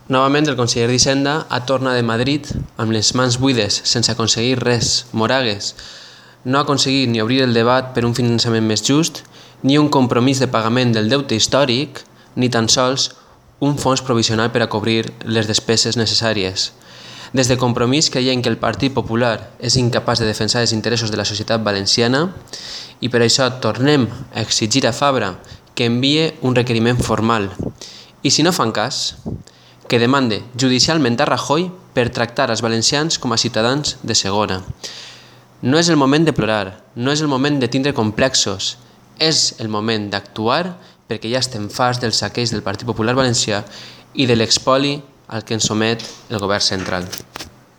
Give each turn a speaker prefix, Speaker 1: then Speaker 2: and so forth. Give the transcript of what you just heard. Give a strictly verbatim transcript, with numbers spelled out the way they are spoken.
Speaker 1: Novament, el conseller d'Hisenda ha tornat de Madrid amb les mans buides, sense aconseguir res. Moragues no ha aconseguit ni obrir el debat per un finançament més just, ni un compromís de pagament del deute històric, ni tan sols un fons provisional per a cobrir les despeses necessàries. Des de Compromís creiem que el Partit Popular és incapaç de defensar els interessos de la societat valenciana i per això tornem a exigir a Fabra que envie un requeriment formal i, si no fan cas, que demande judicialment a Rajoy per tractar els valencians com a ciutadans de segona. No és el moment de plorar, no és el moment de tindre complexos, és el moment d'actuar perquè ja estem farts del saqueig del Partit Popular Valencià i de l'expoli al que ens somet el govern central.